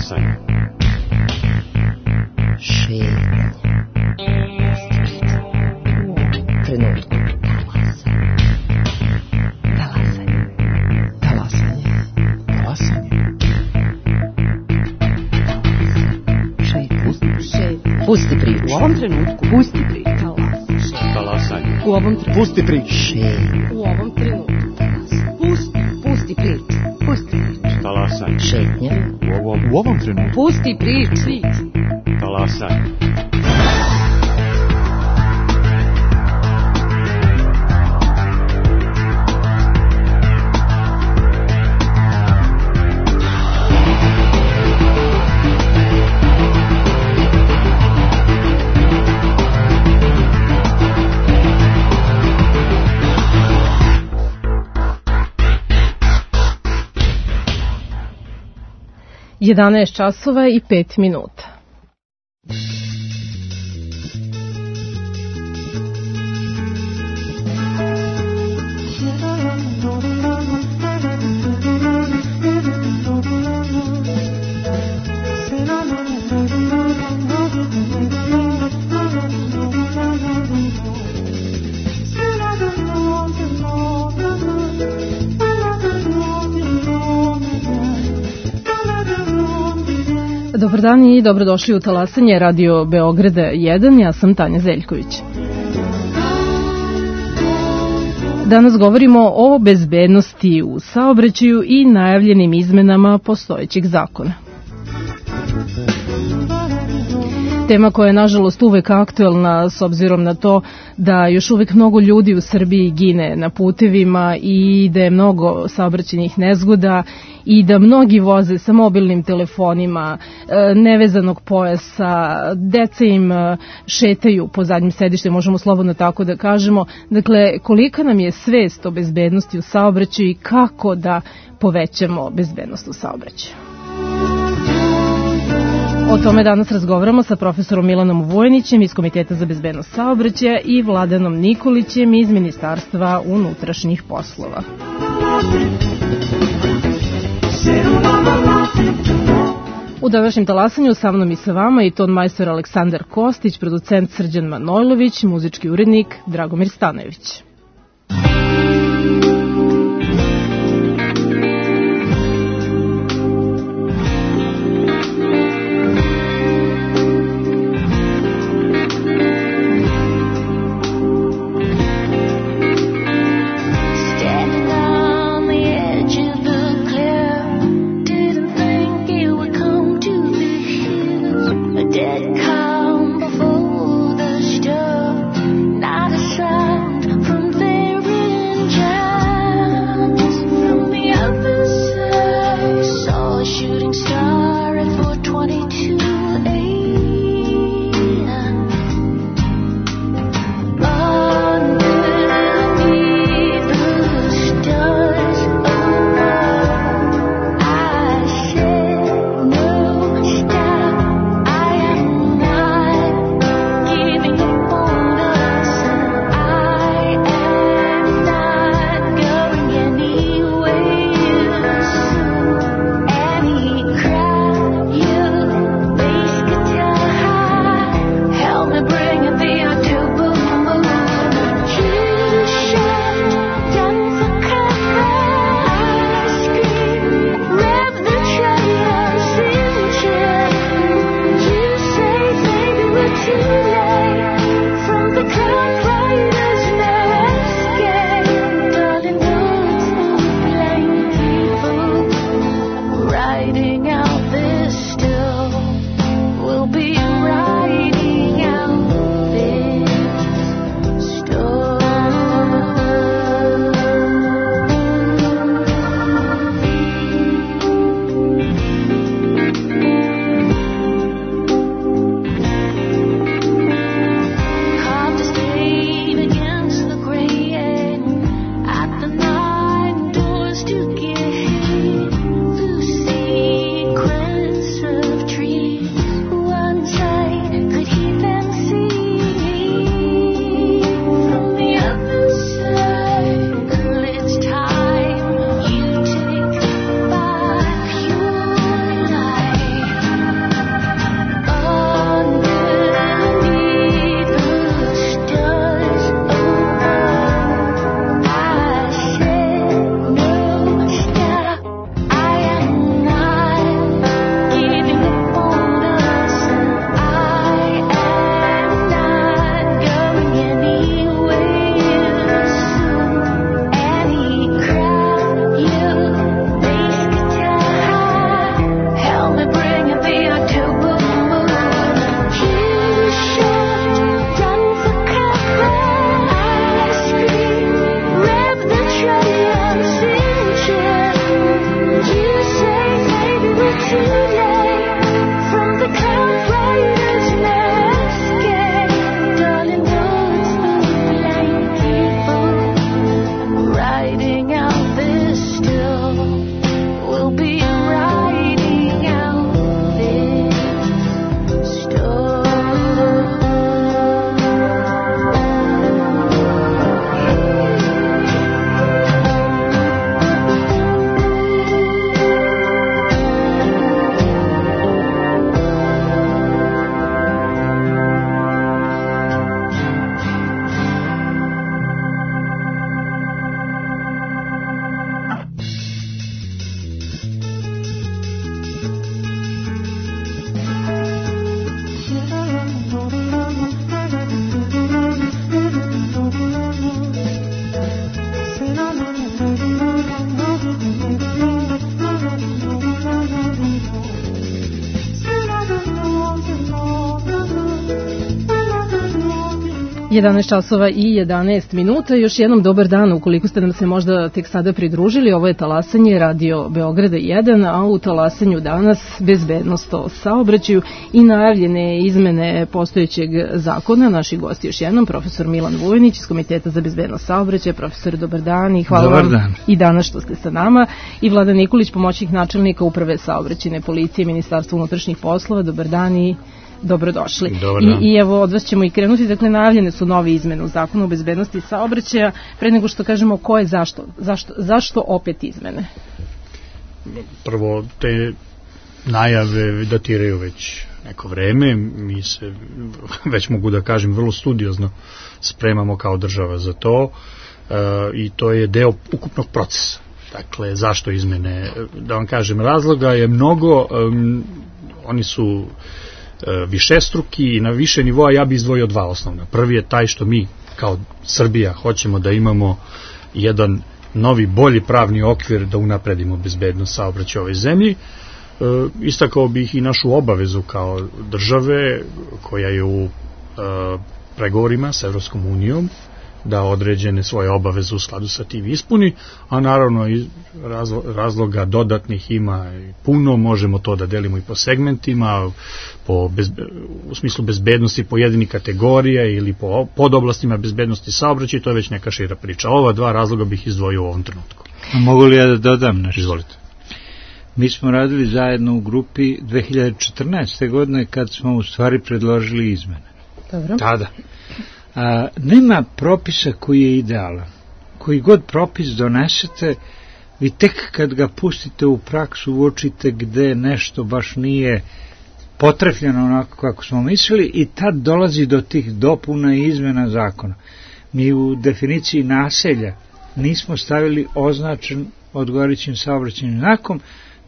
Talasanje. Šetnja. Trenutku. Talasanje. Talasanje. Talasanje. Pusti priču. U ovom trenutku. Pusti priču. Talasanje. U ovom trenutku. Pusti priču. U ovom trenutku. Pusti priču. Pusti priču. Talasanje. Šetnja. U ovom trenutku. Pusti priču. Talasanje. Jedanaest časova i 5 minuta. Dobar dan i dobrodošli u Talasanje Radio Beograda 1, ja sam Tanja Zeljković. Danas govorimo o bezbednosti u saobraćaju i najavljenim izmenama postojećeg zakona. Tema koja je nažalost uvek aktuelna s obzirom na to da još uvek mnogo ljudi u Srbiji gine na putevima i da je mnogo saobraćajnih nezgoda i da mnogi voze sa mobilnim telefonima, nevezanog pojasa, deca im šetaju po zadnjim sedištima, možemo slobodno tako da kažemo. Dakle, kolika nam je svest o bezbednosti u saobraćaju i kako da povećamo bezbednost u saobraćaju? O tome danas razgovaramo sa profesorom Milanom Vojnićem iz Komiteta za bezbednost saobraćaja i Vladanom Nikolićem iz Ministarstva unutrašnjih poslova. U današnjem Talasanju sa mnom i sa vama i ton majstor Aleksandar Kostić, producent Srđan Manojlović, muzički urednik Dragomir Stanojević. From 11 časova i 11 minuta. Još jednom dobar dan, ukoliko ste nam se možda tek sada pridružili. Ovo je talasanje Radio Beograda 1, a u talasanju danas bezbednost o saobraćaju i najavljene izmene postojećeg zakona. Naši gosti još jednom, profesor Milan Vujnić iz Komiteta za bezbednost saobraćaja. Profesor, dobar dan i hvala vam i danas što ste sa nama. I Vladan Nikolić, pomoćnik načelnika Uprave saobraćajne policije Ministarstva unutrašnjih poslova. Dobar dan i dobrodošli. I evo od vas ćemo i krenuti, dakle najavljene su nove izmene u zakonu o bezbednosti saobraćaja. Pre nego što kažemo ko je zašto opet izmene? Prvo, te najave datiraju već neko vreme, mi se već mogu da kažem vrlo studiozno spremamo kao država za to i to je deo ukupnog procesa. Dakle, zašto izmene? Da vam kažem, razloga je mnogo, oni su višestruki i na više nivoa. Ja bih izdvojio dva osnovna. Prvi je taj što mi kao Srbija hoćemo da imamo jedan novi, bolji pravni okvir da unapredimo bezbednost saobraćaja u ovoj zemlji. Istakao bih i našu obavezu kao države koja je u pregovorima sa Evropskom unijom da određene svoje obaveze u skladu sa tim ispuni, a naravno i razloga dodatnih ima puno, možemo to da delimo i po segmentima, u smislu bezbednosti pojedinih kategorija ili po podoblastima bezbednosti saobraćaja, to je već neka šira priča. Ova dva razloga bih izdvojio u ovom trenutku. Mogu li ja da dodam nešto? Izvolite. Mi smo radili zajedno u grupi 2014. godine kad smo u stvari predložili izmene. Dobro. Tada. Nema propisa koji je idealan. Koji god propis donesete, vi tek kad ga pustite u praksu uočite gde nešto baš nije potrefljeno onako kako smo mislili i tad dolazi do tih dopuna i izmena zakona. Mi u definiciji naselja nismo stavili označen odgovarajućim saobraćajnim znakom,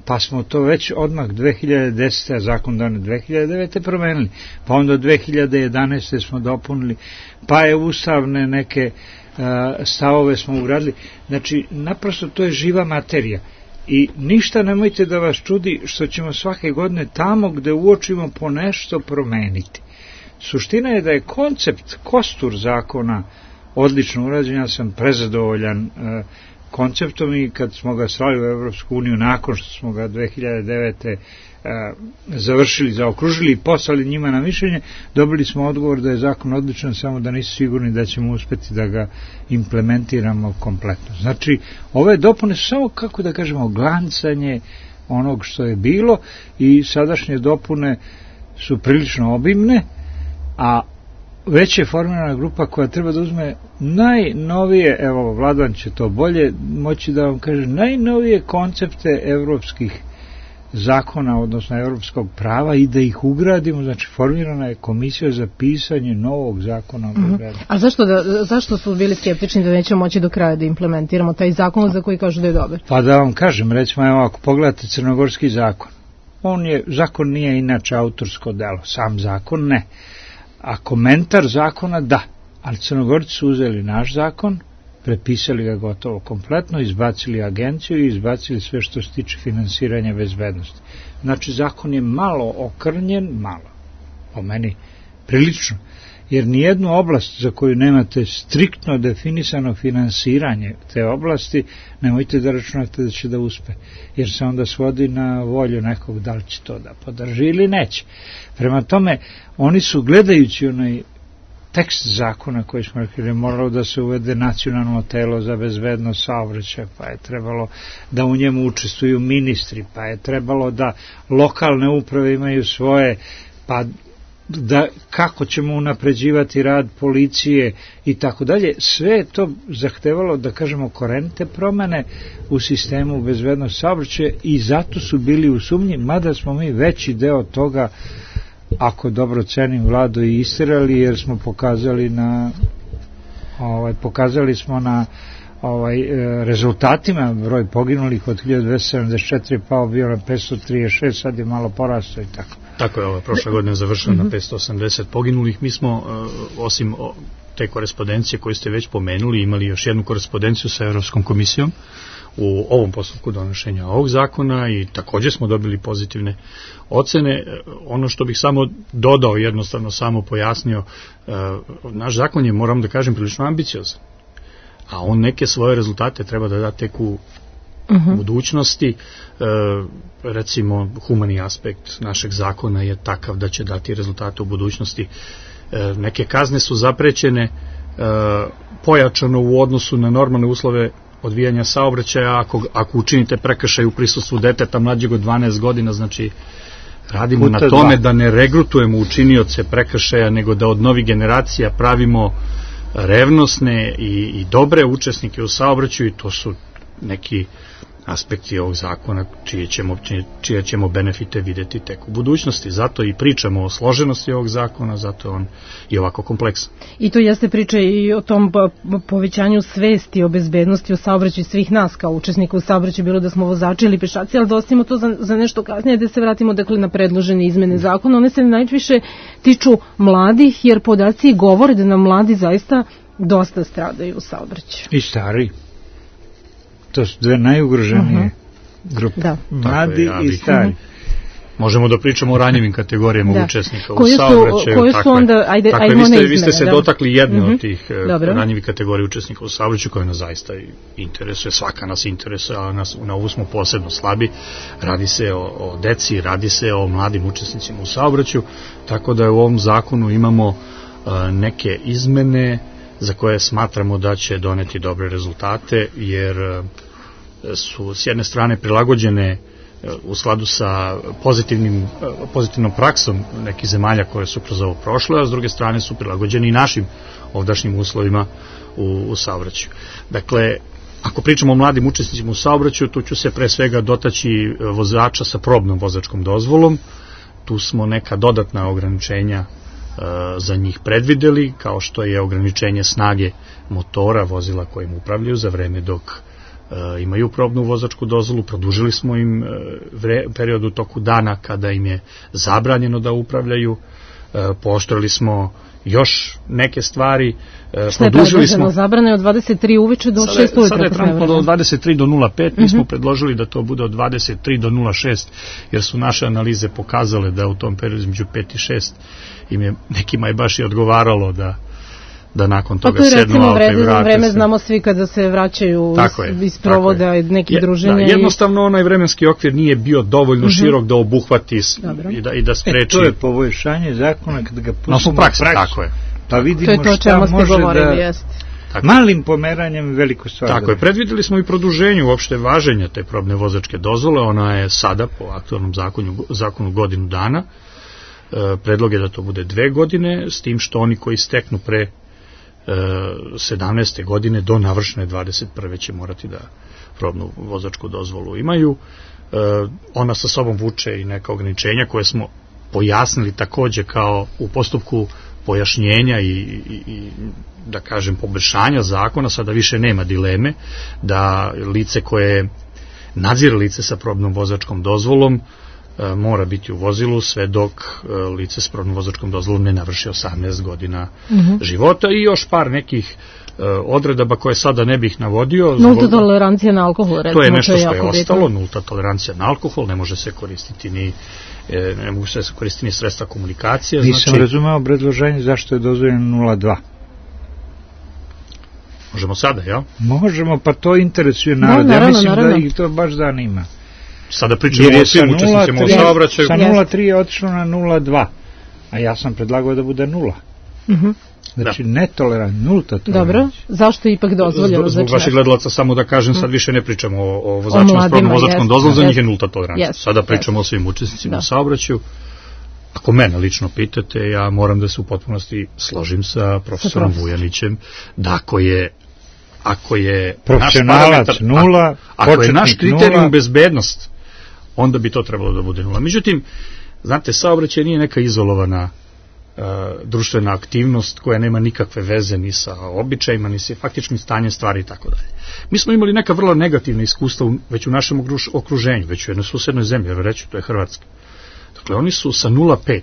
pa smo to već odmah 2010. a zakon donet 2009. promenili, pa onda 2011. smo dopunili, pa je ustavne neke stavove smo ugradili. Znači, naprosto to je živa materija i ništa nemojte da vas čudi što ćemo svake godine tamo gde uočimo po nešto promeniti. Suština je da je koncept, kostur zakona odlično urađen, ja sam prezadovoljan konceptom i kad smo ga slali u Evropsku uniju nakon što smo ga 2009. Završili, zaokružili i poslali njima na mišljenje, dobili smo odgovor da je zakon odličan, samo da nisu sigurni da ćemo uspeti da ga implementiramo kompletno. Znači, ove dopune su samo, kako da kažemo, glancanje onog što je bilo i sadašnje dopune su prilično obimne, a već je formirana grupa koja treba da uzme najnovije, evo Vladan će to bolje moći da vam kaže, najnovije koncepte evropskih zakona, odnosno evropskog prava i da ih ugradimo, znači formirana je komisija za pisanje novog zakona. A zašto su bili skeptični da nećemo moći do kraja da implementiramo taj zakon za koji kažu da je dobar? Pa da vam kažem, recimo, evo ako pogledate crnogorski zakon, zakon nije inače autorsko delo, sam zakon ne. A komentar zakona da, ali Crnogorci su uzeli naš zakon, prepisali ga gotovo kompletno, izbacili agenciju i izbacili sve što se tiče finansiranja bezbednosti. Znači, zakon je malo okrnjen, po meni prilično, jer nijednu oblast za koju nemate striktno definisano finansiranje te oblasti, nemojte da računate da će da uspe, jer se onda svodi na volju nekog da li će to da podrži ili neće. Prema tome, oni su gledajući onaj tekst zakona koji smo rekli da je moralo da se uvede nacionalno telo za bezbednost saobraćaja, pa je trebalo da u njemu učestvuju ministri, pa je trebalo da lokalne uprave imaju svoje, pa da kako ćemo unapređivati rad policije i tako dalje, sve je to zahtevalo, da kažemo, korenite promene u sistemu bezbednosti saobraćaja i zato su bili u sumnji, mada smo mi veći deo toga, ako dobro cenim, Vlado, i istirali, jer smo pokazali na rezultatima, broj poginulih od 1274 pao bio na 536, sad je malo porastao i tako. Tako je, prošle godine završeno na 580 poginulih. Mi smo, osim te korespondencije koju ste već pomenuli, imali još jednu korespondenciju sa Evropskom komisijom u ovom postupku donošenja ovog zakona i također smo dobili pozitivne ocene. Ono što bih samo dodao, jednostavno samo pojasnio, naš zakon je, moram da kažem, prilično ambiciozan, a on neke svoje rezultate treba da da tek u budućnosti. Recimo, humani aspekt našeg zakona je takav da će dati rezultate u budućnosti. Neke kazne su zaprećene pojačano u odnosu na normalne uslove odvijanja saobraćaja ako učinite prekršaj u prisustvu deteta mlađeg od 12 godina, znači radimo na tome da ne regrutujemo učinioce prekršaja, nego da od novih generacija pravimo revnosne i dobre učesnike u saobraćaju, i to su neki aspekti ovog zakona čije ćemo benefite videti tek u budućnosti. Zato i pričamo o složenosti ovog zakona, zato je on i ovako kompleksan. I to jeste priča i o tom povećanju svesti o bezbednosti u saobraćaju svih nas kao učesnika u saobraćaju, bilo da smo vozači ili pešaci, ali da ostavimo to za nešto kasnije, da se vratimo dakle na predložene izmene zakona. One se najviše tiču mladih, jer podaci govore da nam mladi zaista dosta stradaju u saobraćaju. I stari. To su dve najugroženije grupe. Da. Mladi i stari. Možemo da pričamo o ranjivim kategorijama učesnika u saobraćaju. Koje su onda, ajde vi ste se dotakli jedne od tih ranjivih kategorija učesnika u saobraćaju koja nas zaista interesuje, svaka nas interesuje, a na ovu smo posebno slabi. Radi se o deci, radi se o mladim učesnicima u saobraćaju, tako da u ovom zakonu imamo neke izmene za koje smatramo da će doneti dobre rezultate, jer su s jedne strane prilagođene u skladu sa pozitivnom praksom nekih zemalja koje su kroz ovo prošle, a s druge strane su prilagođeni i našim ovdašnjim uslovima u saobraćaju. Dakle, ako pričamo o mladim učesnicima u saobraćaju, tu ću se pre svega dotaći vozača sa probnom vozačkom dozvolom. Tu smo neka dodatna ograničenja za njih predvideli, kao što je ograničenje snage motora vozila kojim upravljaju za vreme dok imaju probnu vozačku dozvolu. Produžili smo im period u toku dana kada im je zabranjeno da upravljaju. Pooštrili smo još neke stvari. Što je predloženo? Zabrane od 23 uveče do 6 ujutro. Sada je trenutno od 23 do 05, mi smo predložili da to bude od 23 do 06, jer su naše analize pokazale da u tom periodu između 5 i 6 nekima je baš i odgovaralo da nakon toga sednu auto i vrate se. Vreme znamo svi kada se vraćaju iz provoda nekih druženja. Jednostavno onaj vremenski okvir nije bio dovoljno širok da obuhvati i da spreči. To je poboljšanje zakona kada ga pustimo u praksu. Tako je. Pa vidimo šta može da... Malim pomeranjem veliko stvar. Tako je, predvideli smo i produženje uopšte važenja te probne vozačke dozvole, ona je sada po aktualnom zakonu godinu dana. Predlog je da to bude 2 godine, s tim što oni koji steknu pre 17. godine do navršene 21. će morati da probnu vozačku dozvolu imaju. Ona sa sobom vuče i neka ograničenja koje smo pojasnili takođe kao u postupku pojašnjenja i da kažem poboljšanja zakona. Sada više nema dileme da lice koje nadzire lice sa probnom vozačkom dozvolom mora biti u vozilu sve dok lice s probnom vozačkom dozvolom ne navrši 18 godina života, i još par nekih odredaba koje sada ne bih navodio. Nulta tolerancija na alkohol, recimo, to je nešto što je ostalo, nulta tolerancija na alkohol, ne može se koristiti ni sredstva komunikacije. Nisam razumeo obrazloženje zašto je dozvoljeno 0,2. Možemo sada, jel? Možemo, pa to interesuje narod. Ja mislim da ih to baš zanima. Sada pričamo o svim učesnicima u saobraćaju. Sa 0,3 je otišlo na 0,2, a ja sam predlagao da bude 0. Znači, netolerant, nulta tolerancija. Dobro, zašto je ipak dozvoljeno? Zbog vaših gledalaca samo da kažem, sad više ne pričamo o vozačima s probnom vozačkom dozvolom, za njih je nulta tolerancija. Sada pričamo o svim učesnicima u saobraćaju. Ako mene lično pitate, ja moram da se u potpunosti složim sa profesorom Vujanićem, da ako je profesionalac nula, ako je naš kriterijum bezbednost, onda bi to trebalo da bude 0. Međutim, znate, saobraćaj nije neka izolovana društvena aktivnost koja nema nikakve veze ni sa običajima, ni sa faktičnim stanjem stvari i tako dalje. Mi smo imali neka vrlo negativna iskustva već u našem okruženju, već u jednoj susednoj zemlji, reći, to je Hrvatska. Dakle, oni su sa 0,5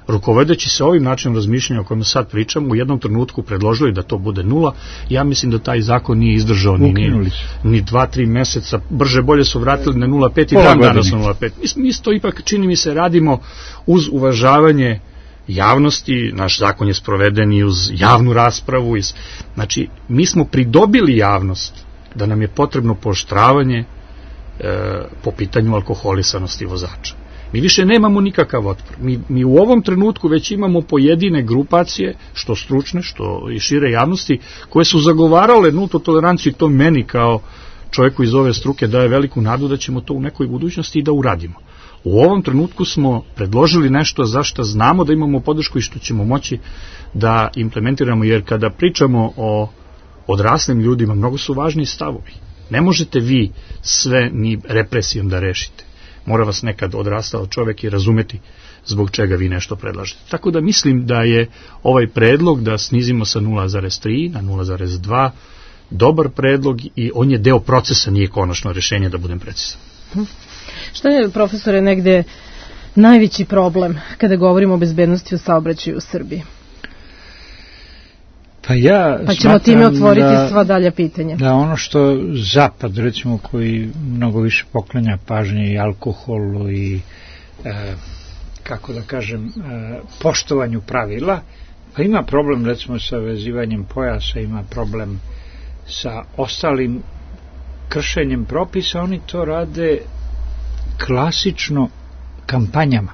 rukovodeći se ovim načinom razmišljanja o kojem sad pričam, u jednom trenutku predložili da to bude 0, ja mislim da taj zakon nije izdržao ni 2-3 meseca, brže bolje su vratili na 0,5 i dan danas na 0,5. Mi isto ipak, čini mi se, radimo uz uvažavanje javnosti, naš zakon je sproveden i uz javnu raspravu, znači mi smo pridobili javnost da nam je potrebno pooštravanje po pitanju alkoholisanosti vozača. Mi više nemamo nikakav otpor. Mi u ovom trenutku već imamo pojedine grupacije, što stručne, što i šire javnosti, koje su zagovarale nultu toleranciju i to meni kao čovjeku iz ove struke daje veliku nadu da ćemo to u nekoj budućnosti i da uradimo. U ovom trenutku smo predložili nešto za što znamo da imamo podršku i što ćemo moći da implementiramo, jer kada pričamo o odraslim ljudima, mnogo su važni stavovi. Ne možete vi sve ni represijom da rešite. Mora vas nekad odrastao čovjek i razumeti zbog čega vi nešto predlažete. Tako da mislim da je ovaj predlog da snizimo sa 0,3 na 0,2 dobar predlog i on je deo procesa, nije konačno rešenje, da budem precizan. Šta je, profesore, negde najveći problem kada govorimo o bezbednosti u saobraćaju u Srbiji? Pa ćemo time otvoriti sva dalja pitanja. Da ono što Zapad, recimo, koji mnogo više poklanja pažnje i alkoholu i kako da kažem poštovanju pravila, pa ima problem recimo sa vezivanjem pojasa, ima problem sa ostalim kršenjem propisa, oni to rade klasično kampanjama.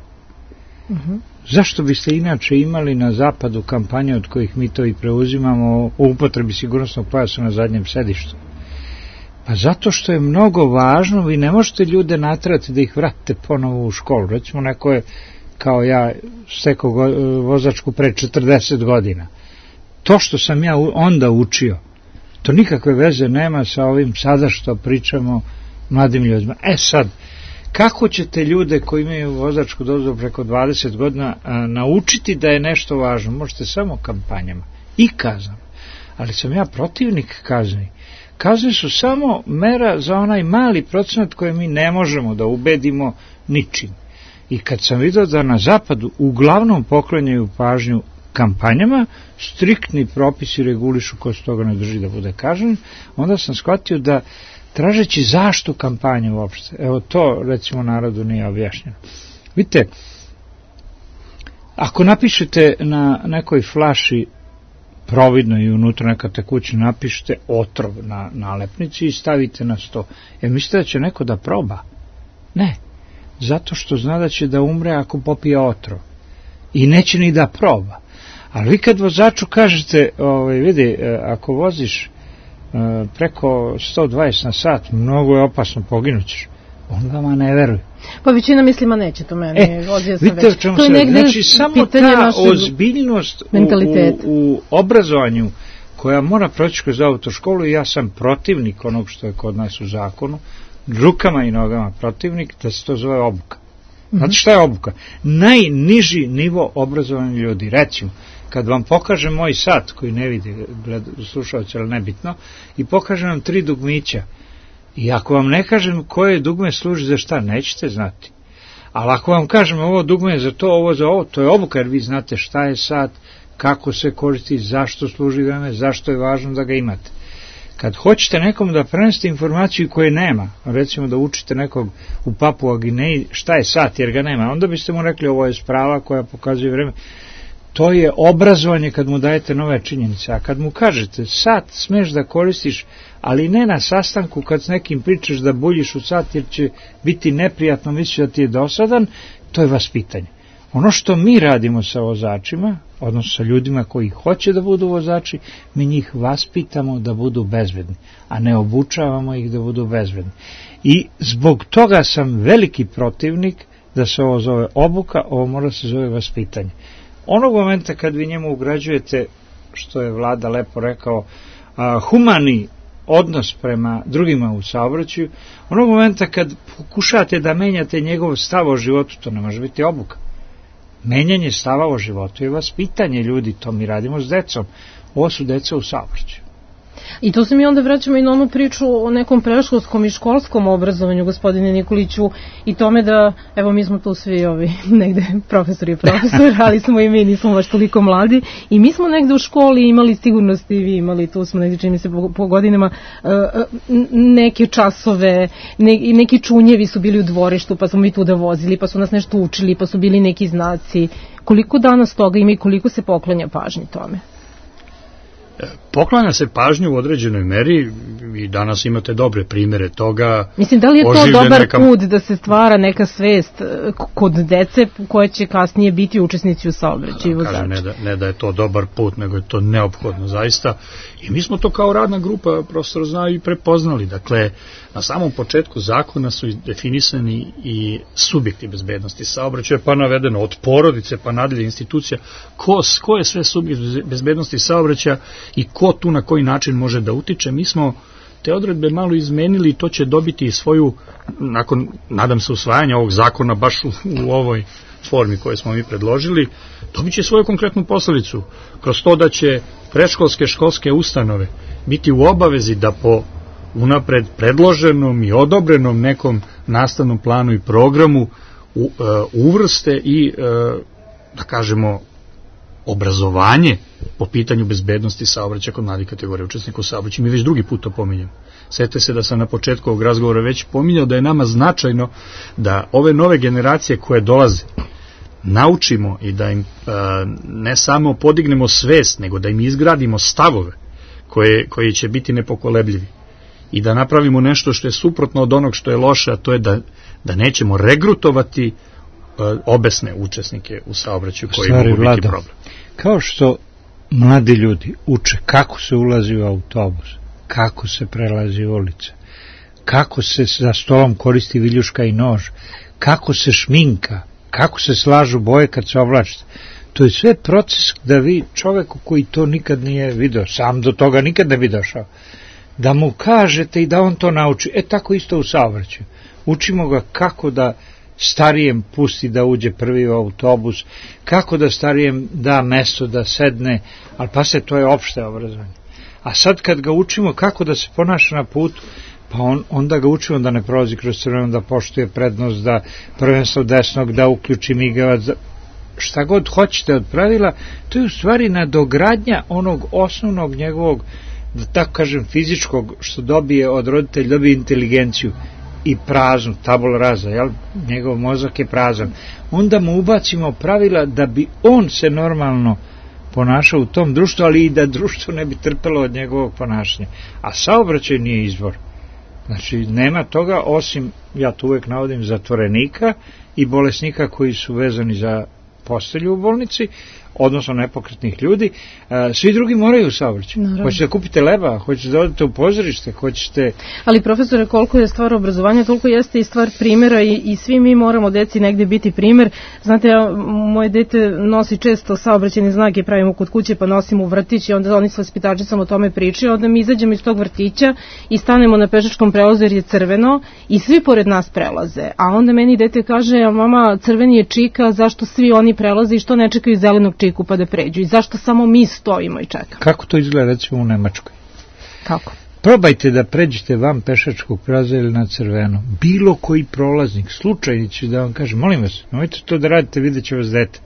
Zašto biste inače imali na zapadu kampanje od kojih mi to i preuzimamo o upotrebi sigurnosnog pojasa na zadnjem sedištu? Pa zato što je mnogo važno, vi ne možete ljude naterati da ih vratite ponovo u školu. Recimo, neko je kao ja stekao vozačku pre 40 godina. To što sam ja onda učio, to nikakve veze nema sa ovim sada što pričamo mladim ljudima. Sad, kako ćete ljude koji imaju vozačku dozvolu preko 20 godina naučiti da je nešto važno? Možete samo kampanjama i kaznama. Ali sam ja protivnik kazni. Kazne su samo mera za onaj mali procenat koje mi ne možemo da ubedimo ničim. I kad sam vidio da na zapadu uglavnom poklanjaju pažnju kampanjama, striktni propisi regulišu ko se toga ne drži da bude kažnjen, onda sam shvatio da tražeći zašto kampanje uopšte, evo to recimo narodu nije objašnjeno. Vidite, ako napišete na nekoj flaši providno i unutra neka tekućina, napišete otrov na nalepnici i stavite na sto. Mislite da će neko da proba? Ne, zato što zna da će da umre ako popije otrov. I neće ni da proba. Ali vi kad vozaču kažete, vidi, ako voziš preko 120 na sat, mnogo je opasno, poginućeš, on vama ne veruje. Pa većina mislima neće to meni. Vidite čemu se radi. Znači, samo ta ozbiljnost u obrazovanju koja mora proći kroz autoškolu, i ja sam protivnik onog što je kod nas u zakonu, rukama i nogama protivnik, da se to zove obuka. Znate šta je obuka? Najniži nivo obrazovanja ljudi. Recimo, kad vam pokažem moj sat, koji ne vidi slušalci, ali nebitno, i pokažem vam 3 dugmića, i ako vam ne kažem koje dugme služi za šta, nećete znati. Ali ako vam kažem ovo dugme je za to, ovo za ovo, to je obuka, jer vi znate šta je sat, kako se koristi, zašto služi vreme, zašto je važno da ga imate. Kad hoćete nekom da prenesete informaciju koje nema, recimo da učite nekog u Papua Gineji šta je sat jer ga nema, onda biste mu rekli ovo je sprava koja pokazuje vreme. To je obrazovanje kad mu dajete nove činjenice. A kad mu kažete sat smeš da koristiš, ali ne na sastanku kad s nekim pričaš da buljiš u sat jer će biti neprijatno, misliš da ti je dosadan, to je vaspitanje. Ono što mi radimo sa vozačima, odnosno sa ljudima koji hoće da budu vozači, mi njih vaspitamo da budu bezbedni, a ne obučavamo ih da budu bezbedni. I zbog toga sam veliki protivnik da se ovo zove obuka, ovo mora se zove vaspitanje. Onog momenta kad vi njemu ugrađujete, što je Vlada lepo rekao, humani odnos prema drugima u saobraćaju, onog momenta kad pokušate da menjate njegov stav o životu, to ne može biti obuka. Menjanje stava o životu je vaspitanje ljudi, to mi radimo s decom. Ovo su deca u saobraćaju. I to se mi onda vraćamo i na onu priču o nekom predškolskom i školskom obrazovanju, gospodine Nikoliću, i tome da, evo mi smo tu svi negde profesor, ali smo i mi, nismo baš toliko mladi, i mi smo negde u školi imali, sigurno ste i vi imali, tu smo negde, čini mi se po godinama, neke časove, neki čunjevi su bili u dvorištu, pa smo mi tu da vozili, pa su nas nešto učili, pa su bili neki znaci. Koliko danas toga ima i koliko se poklanja pažnji tome? Poklanja se pažnju u određenoj meri i danas imate dobre primere toga. Mislim, da li je to dobar put da se stvara neka svest kod dece koje će kasnije biti učesnici u saobraćaju? Ne da je to dobar put, nego je to neophodno zaista. I mi smo to kao radna grupa, profesor zna, i prepoznali. Dakle, na samom početku zakona su definisani i subjekti bezbednosti saobraćaja, pa navedeno od porodice pa nadalje institucija, ko je sve subjekt bezbednosti saobraćaja i ko tu na koji način može da utiče. Mi smo te odredbe malo izmenili i to će dobiti svoju, nakon, nadam se, usvajanja ovog zakona baš u ovoj formi koju smo mi predložili, dobit će svoju konkretnu posledicu kroz to da će predškolske školske ustanove biti u obavezi da po unapred predloženom i odobrenom nekom nastavnom planu i programu uvrste i, da kažemo, obrazovanje po pitanju bezbednosti saobraćaja kod mladih kategorija učesnika u saobraćaju. Mi već drugi put to pominjamo. Sjetite se da sam na početku ovog razgovora već pominjao da je nama značajno da ove nove generacije koje dolaze naučimo i da im ne samo podignemo svest, nego da im izgradimo stavove koji će biti nepokolebljivi i da napravimo nešto što je suprotno od onog što je loše, a to je da nećemo regrutovati obesne učesnike u saobraćaju koji mogu biti problem. Kao što mladi ljudi uče kako se ulazi u autobus, kako se prelazi ulice, kako se za stolom koristi viljuška i nož, kako se šminka, kako se slažu boje kad se oblačite. To je sve proces da vi čoveku koji to nikad nije video, sam do toga nikad ne bi došao, da mu kažete i da on to nauči. Tako isto u saobraćaju. Učimo ga kako da starijem pusti da uđe prvi u autobus, kako da starijem da mesto da sedne, ali pa se to je opšte obrazovanje. A sad kad ga učimo kako da se ponaša na putu, pa onda ga učimo da ne prolazi kroz crveno, da poštuje prednost, da prvenstvo desnog, da uključi migavac, šta god hoćete od pravila, to je u stvari nadogradnja onog osnovnog njegovog, da tako kažem, fizičkog, što dobije od roditelja, dobije inteligenciju i praznu, tabula rasa, jel? Njegov mozak je prazan. Onda mu ubacimo pravila da bi on se normalno ponašao u tom društvu, ali i da društvo ne bi trpelo od njegovog ponašanja. A saobraćaj nije izvor. Znači, nema toga, osim, ja to uvek navodim, zatvorenika i bolesnika koji su vezani za postelju u bolnici, odnosno nepokretnih ljudi, svi drugi moraju u saobraćaju. Hoćete da kupite leba, hoćete da odete u pozorište, hoćete... Ali, profesore, koliko je stvar obrazovanja, toliko jeste i stvar primjera i svi mi moramo deci negde biti primer. Znate, moje dete nosi često saobraćajne znake, pravimo kod kuće, pa nosimo u vrtić i onda oni s vaspitačicama o tome pričaju, onda mi izađemo iz tog vrtića i stanemo na pešačkom prelazu jer je crveno i svi pored nas prelaze. A onda meni dete kaže, mama, crveni je čika, zašto svi oni prelaze i što ne čekaju zelenog čiku pa da pređu i zašto samo mi stojimo i čekamo. Kako to izgleda recimo u Nemačkoj? Kako? Probajte da pređete van pešačkog prelaza ili na crveno. Bilo koji prolaznik, slučajni će da vam kaže, molim vas, nemojte to da radite, vidjet će vas dete.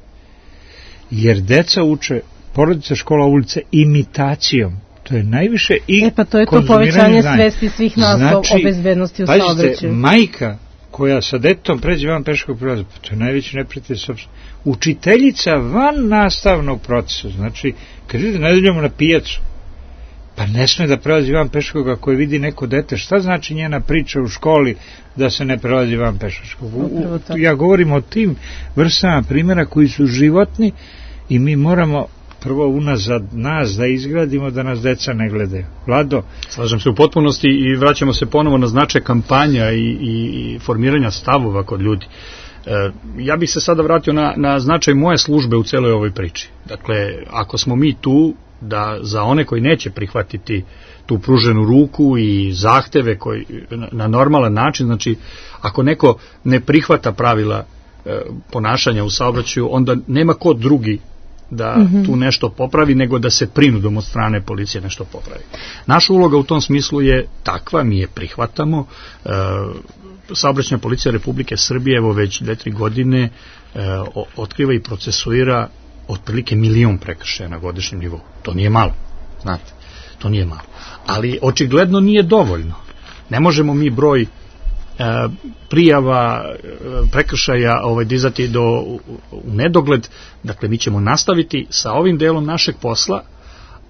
Jer deca uče, porodica, škola, ulica, imitacijom. To je najviše i pa to je to povećanje svesti svih nas o bezbednosti u saobraćaju. Pazite, majka koja sa detetom pređe van pešačkog prelaza, pa to je najveći neprijatelj sopstveno. Učiteljica van nastavnog procesa, znači, kad idete nedeljom na pijacu, pa ne sme da prelazi van pešačkog ako je vidi neko dete, šta znači njena priča u školi da se ne prelazi van pešačkog? Ja govorim o tim vrstama primjera koji su životni i mi moramo prvo unazad nas da izgradimo da nas deca ne gledaju. Vlado? Slažem se u potpunosti i vraćamo se ponovo na značaj kampanja i formiranja stavova kod ljudi. Ja bih se sada vratio na značaj moje službe u celoj ovoj priči. Dakle, ako smo mi tu da za one koji neće prihvatiti tu pruženu ruku i zahteve koji, na normalan način, znači ako neko ne prihvata pravila ponašanja u saobraćaju, onda nema ko drugi da tu nešto popravi, nego da se prinudom od strane policije nešto popravi. Naša uloga u tom smislu je takva, mi je prihvatamo. Saobraćajna policija Republike Srbije evo već 2-3 godine otkriva i procesuira otprilike 1 milion prekršaja na godišnjem nivou. To nije malo, znate, to nije malo. Ali očigledno nije dovoljno. Ne možemo mi broj prijava prekršaja dizati u nedogled. Dakle, mi ćemo nastaviti sa ovim delom našeg posla,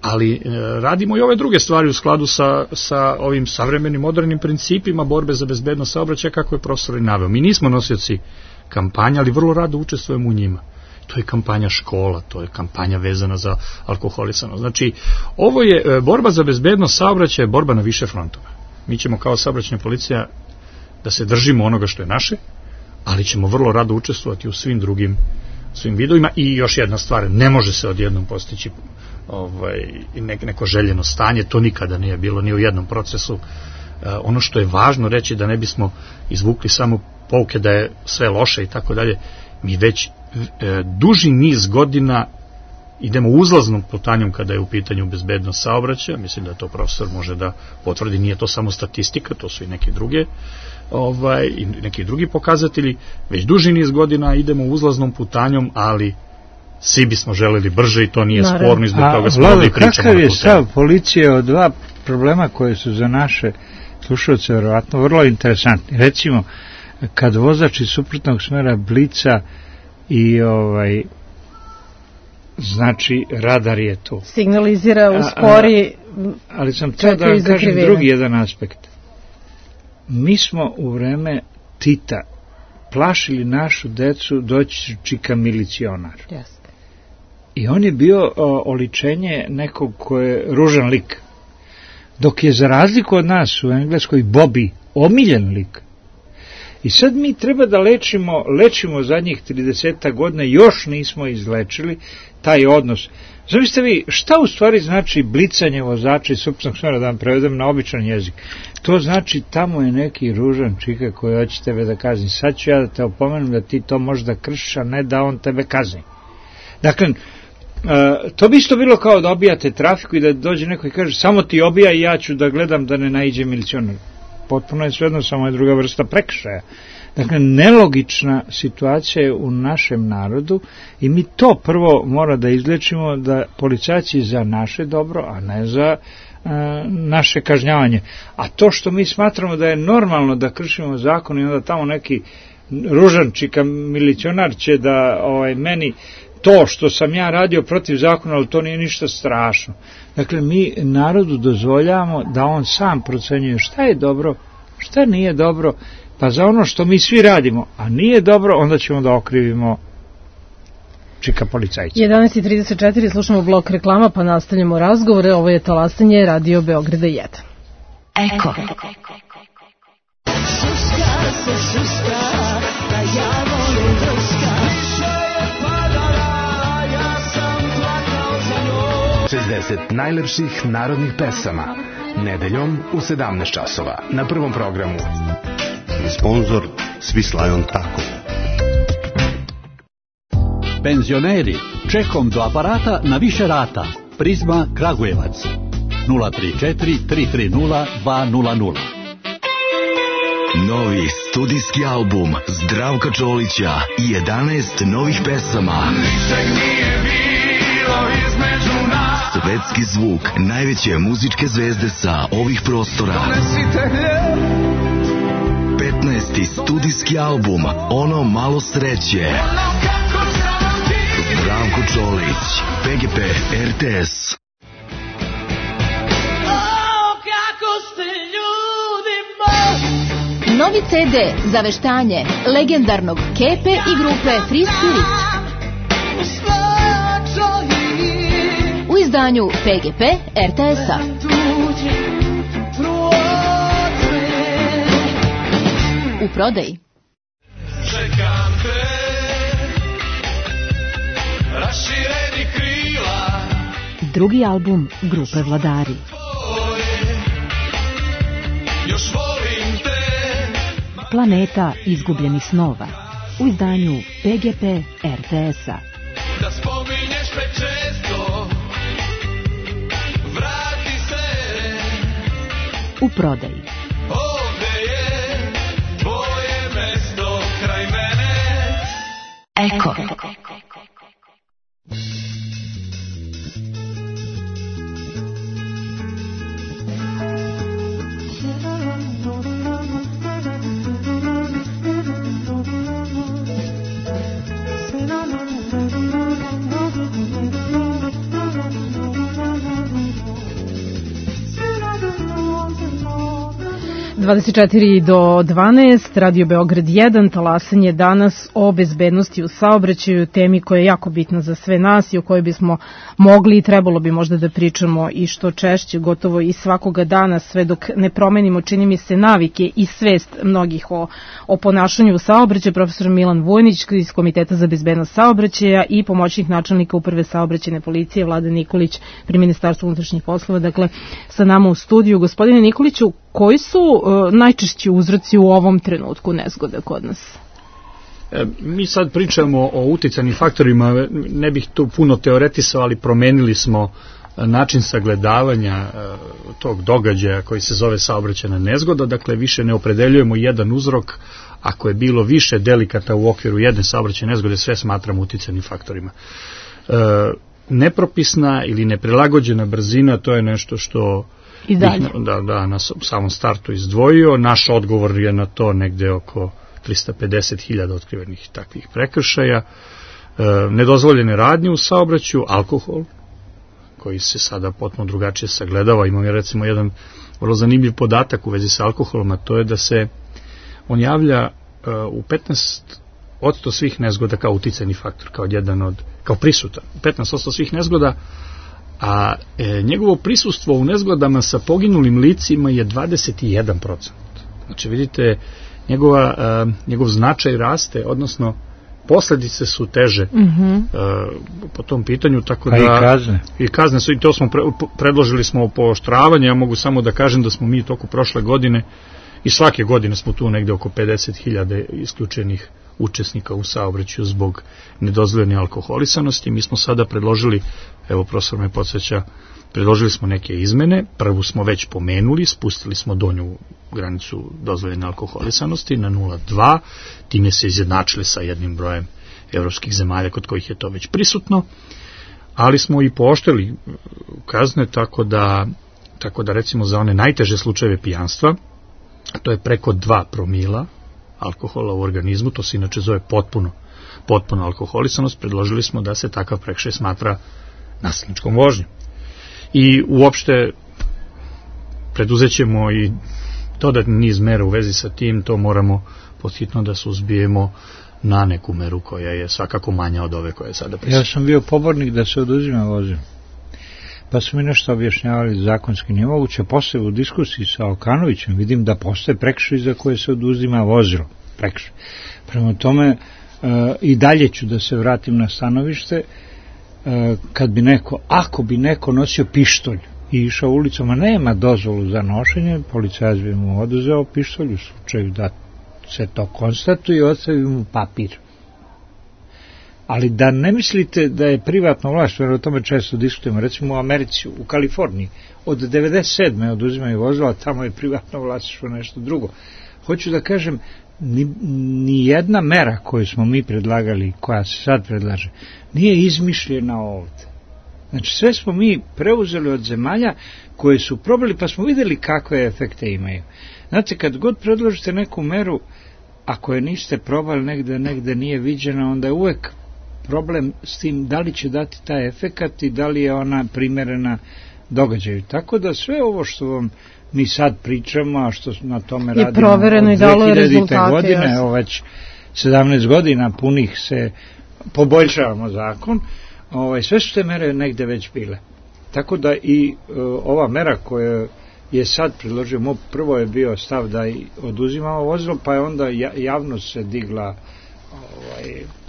ali radimo i ove druge stvari u skladu sa ovim savremenim modernim principima borbe za bezbednost saobraćaja, kako je profesor i naveo. Mi nismo nosioci kampanja, ali vrlo rado učestvujemo u njima. To je kampanja škola, to je kampanja vezana za alkoholisanost. Znači, ovo je borba za bezbednost saobraćaja, borba na više frontova. Mi ćemo kao saobraćajna policija da se držimo onoga što je naše, ali ćemo vrlo rado učestvovati u svim drugim vidovima. I još jedna stvar, ne može se odjednom postići neko željeno stanje, to nikada nije bilo ni u jednom procesu. Ono što je važno reći, da ne bismo izvukli samo pouke da je sve loše i tako dalje, mi već duži niz godina idemo uzlaznom putanjom kada je u pitanju bezbednost saobraćaja. Mislim da to profesor može da potvrdi, nije to samo statistika, to su i neki drugi pokazatelji. Već duži niz godina idemo uzlaznom putanjom, ali svi bismo želeli brže i to nije sporno, i zbog toga smo ovdje i pričamo. Kakav je stav policije o dva problema koje su za naše slušalce verovatno vrlo interesantni? Recimo, kad vozač iz suprotnog smera blica i znači radar je tu. Signalizira, uspori. Ali sam teo da vam kažem drugi jedan aspekt. Mi smo u vreme Tita plašili našu decu, doći čika milicionar. Jeste. I on je bio oličenje nekog ko je ružan lik. Dok je za razliku od nas u Engleskoj Bobby omiljen lik. I sad mi treba da lečimo zadnjih 30 godina, još nismo izlečili taj odnos. Zamislite vi, šta u stvari znači blicanje vozača iz suprotnog smera, da vam prevedem na običan jezik? To znači, tamo je neki ružan čika koji hoće tebe da kazni. Sad ću ja da te opomenem da ti to možda kršiš, a ne da on tebe kazni. Dakle, to bi isto bilo kao da obijate trafiku i da dođe neko i kaže, samo ti obija i ja ću da gledam da ne naiđe milicionar. Potpuno je svejedno, samo je druga vrsta prekršaja. Dakle, nelogična situacija je u našem narodu i mi to prvo mora da izlečimo, da policajci za naše dobro, a ne za naše kažnjavanje. A to što mi smatramo da je normalno da kršimo zakon i onda tamo neki ružan čika milicionar će da meni to što sam ja radio protiv zakona, ali to nije ništa strašno. Dakle, mi narodu dozvoljavamo da on sam procenjuje šta je dobro, šta nije dobro, pa za ono što mi svi radimo, a nije dobro, onda ćemo da okrivimo čika policajca. 11:34, slušamo blok reklama, pa nastavljamo razgovore. Ovo je Talasanje, Radio Beograda 1. Eko. Šuška se šuška, da ja volim drška. Više je padala, ja sam plakao za njom. 60 najlepših narodnih pesama. Nedeljom u 17 časova. Na Prvom programu. Sponzor Swiss Tako. Penzioneri, čekom do aparata na više rata. Prizma Kragujevac. 034 330 200. Novi studijski album Zdravka Čolića i 11 novih pesama. Ničeg nije bilo između nas. Svetski zvuk najveće muzičke zvezde sa ovih prostora. Donesite hljeb. 15. studijski album Ono malo sreće. Ono kako znam ti. Zdravko Čolić, PGP RTS. Novi CD za veštanje legendarnog Kepe i grupe Free Spirit. U izdanju PGP RTS-a. U prodaji. Čekam te, rašireni krila. Drugi album grupe Vladari. Još volim te. Planeta izgubljenih snova. U izdanju PGP RTS-a. Da spominješ pečenje. u prodaji. Ovde je tvoje mesto kraj mene. Eko. do 12, Radio Beograd 1, talasanje danas o bezbednosti u saobraćaju, temi koja je jako bitna za sve nas i o kojoj bismo mogli i trebalo bi možda da pričamo i što češće, gotovo i svakoga dana, sve dok ne promenimo, čini mi se, navike i svest mnogih o ponašanju u saobraćaju. Profesor Milan Vujnić iz Komiteta za bezbednost saobraćaja i pomoćnik načelnika Uprave saobraćajne policije Vladan Nikolić pri Ministarstvu unutrašnjih poslova, dakle sa nama u studiju. Gospodine Nikoliću, koji su najčešći uzroci u ovom trenutku nezgoda kod nas? Mi sad pričamo o uticajnim faktorima, ne bih tu puno teoretisao, ali promenili smo način sagledavanja tog događaja koji se zove saobraćajna nezgoda, dakle više ne opredeljujemo jedan uzrok, ako je bilo više delikata u okviru jedne saobraćajne nezgode, sve smatramo uticajnim faktorima. Nepropisna ili neprilagođena brzina, to je nešto što i dalje. Na samom startu izdvojio. Naš odgovor je na to negde oko 350.000 otkrivenih takvih prekršaja. Nedozvoljene radnje u saobraćaju, alkohol, koji se sada potpuno drugačije sagledava. Imam recimo jedan vrlo zanimljiv podatak u vezi sa alkoholom, a to je da se on javlja u 15% svih nezgoda kao uticajni faktor, kao prisutan. 15% svih nezgoda, a njegovo prisustvo u nezgodama sa poginulim licima je 21%. Znači vidite, njegov značaj raste, odnosno posledice su teže po tom pitanju, tako da i kazne su, i to smo predložili smo pooštravanje. Ja mogu samo da kažem da smo mi toku prošle godine i svake godine smo tu negde oko 50.000 isključenih učesnika u saobraćaju zbog nedozvoljene alkoholisanosti. Mi smo sada predložili, evo profesor me podsjeća, predložili smo neke izmene. Prvu smo već pomenuli, spustili smo donju granicu dozvoljene alkoholisanosti na 0,2, time se izjednačili sa jednim brojem evropskih zemalja kod kojih je to već prisutno, ali smo i pooštrili kazne, tako da recimo za one najteže slučajeve pijanstva, a to je preko 2 promila alkohola u organizmu, to se inače zove potpuno alkoholisanost, predložili smo da se takav prekršaj smatra nasilničkom vožnjom. I uopšte preduzećemo i dodatni niz mera u vezi sa tim, to moramo podhitno da suzbijemo na neku meru koja je svakako manja od ove koje je sada prisutna. Ja sam bio pobornik da se oduzima vozilo, pa su mi nešto objašnjavali zakonski nije moguće. Posle u diskusiji sa Okanovićem vidim da postoje prekršaj za koje se oduzima vozilo. Prekršaj. Prema tome i dalje ću da se vratim na stanovište, ako bi neko nosio pištolj i išao ulicom, a nema dozvolu za nošenje, policajac bi mu oduzeo pištolj u slučaju da se to konstatuje i ostavi mu papir. Ali da ne mislite da je privatno vlasništvo, jer o tome često diskutujemo, recimo u Americi, u Kaliforniji, od 97. oduzimaju vozila, tamo je privatno vlasništvo nešto drugo. Hoću da kažem, ni jedna mera koju smo mi predlagali, koja se sad predlaže, nije izmišljena ovde. Znači sve smo mi preuzeli od zemalja koje su probali, pa smo videli kakve efekte imaju. Znate, kad god predložite neku meru, ako je niste probali negde nije viđena, onda je uvek problem s tim da li će dati taj efekat i da li je ona primerena događaju. Tako da sve ovo što vam mi sad pričamo, a što na tome radimo od 2000. godine, evo već 17 godina punih se poboljšavamo zakon, sve su te mere negde već bile. Tako da i ova mera koja je sad predložio, prvo je bio stav da oduzimamo vozilo, pa je onda javnost se digla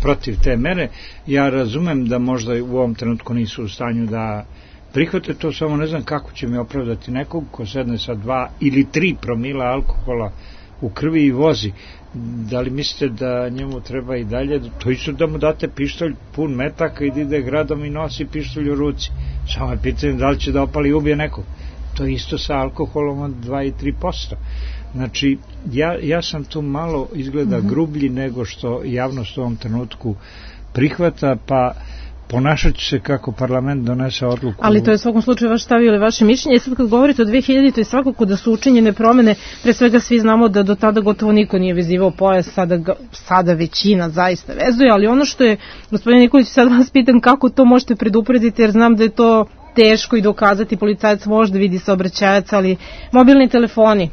protiv te mere. Ja razumem da možda u ovom trenutku nisu u stanju da prihvate to, samo ne znam kako će mi opravdati nekog ko sedne sa 2 ili 3 promila alkohola u krvi i vozi. Da li mislite da njemu treba i dalje, to isto da mu date pištolj pun metaka i da ide gradom i nosi pištolj u ruci, samo je pitanje da li će da opali i ubije nekog. To je isto sa alkoholom od 2 i 3%. Znači, ja sam tu malo izgleda grublji nego što javnost u ovom trenutku prihvata, pa ponašat će se kako parlament donese odluku. Ali to je u svakom slučaju vaš stav ili vaše mišljenje. Sad kad govorite o 2000, to je svakako da su učinjene promene, pre svega svi znamo da do tada gotovo niko nije vezivao pojas, sada većina zaista vezuje, ali ono što je, gospodin Nikolić, sad vas pitam kako to možete preduprediti, jer znam da je to teško i dokazati, policajac možda vidi saobraćajac, ali mobilni telefoni,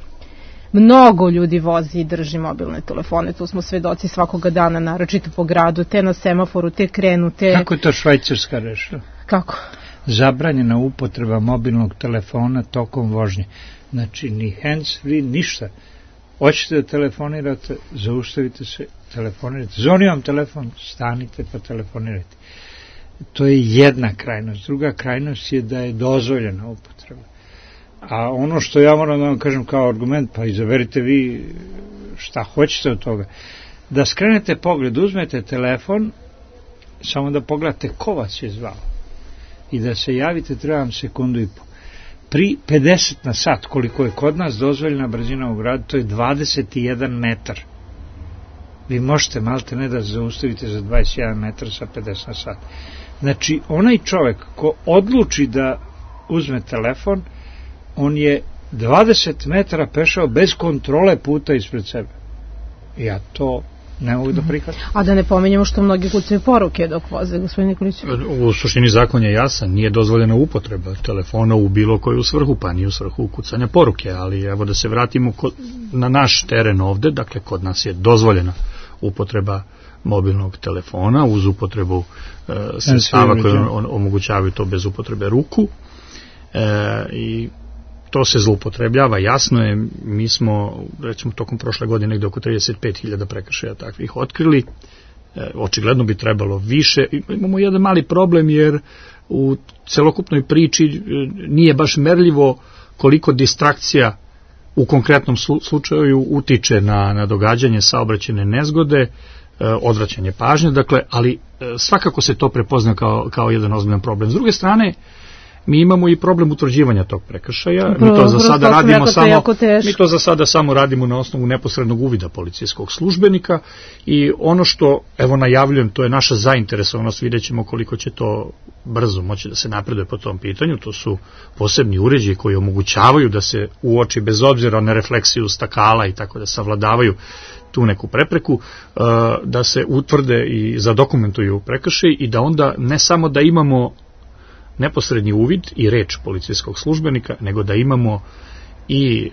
mnogo ljudi vozi i drži mobilne telefone, tu smo svedoci svakoga dana, naročito po gradu, te na semaforu, te krenu, te... Kako je to Švajcarska rešila? Kako? Zabranjena upotreba mobilnog telefona tokom vožnje. Znači, ni hands-free, ništa. Hoćete da telefonirate, zaustavite se, telefonirate. Zvoni vam telefon, stanite pa telefonirajte. To je jedna krajnost. Druga krajnost je da je dozvoljena upotreba. A ono što ja moram da vam kažem kao argument, pa izaberite vi šta hoćete od toga, da skrenete pogled, uzmete telefon, samo da pogledate ko vas je zvao i da se javite, treba vam sekundu i po. Pri 50 na sat, koliko je kod nas dozvoljena brzina u gradu, to je 21 metar. Vi možete malte ne da zaustavite za 21 metar sa 50 na sat. Znači, onaj čovek ko odluči da uzme telefon, on je 20 metara pešao bez kontrole puta ispred sebe. Ja to ne mogu da prihvatim. A da ne pominjamo što mnogi kucaju poruke dok voze, gospodin Nikolić. U suštini zakon je jasan, nije dozvoljena upotreba telefona u bilo koju svrhu, pa ni u svrhu kucanja poruke, ali evo da se vratimo na naš teren ovde, dakle kod nas je dozvoljena upotreba mobilnog telefona uz upotrebu sredstava koje omogućavaju to bez upotrebe ruku i to se zloupotrebljava, jasno je, mi smo, recimo, tokom prošle godine negde oko 35.000 prekršaja takvih otkrili, očigledno bi trebalo više. Imamo jedan mali problem jer u celokupnoj priči nije baš merljivo koliko distrakcija u konkretnom slučaju utiče na događanje saobraćajne nezgode, odvraćanje pažnje, dakle, ali svakako se to prepozna kao jedan ozbiljan problem. S druge strane, mi imamo i problem utvrđivanja tog prekršaja. Mi to za sada samo radimo na osnovu neposrednog uvida policijskog službenika i ono što, evo najavljujem, to je naša zainteresovanost, vidjet ćemo koliko će to brzo moći da se napreduje po tom pitanju. To su posebni uređaji koji omogućavaju da se uoči bez obzira na refleksiju stakala i tako da savladavaju tu neku prepreku, da se utvrde i zadokumentuju prekršaj i da onda ne samo da imamo neposredni uvid i reč policijskog službenika, nego da imamo i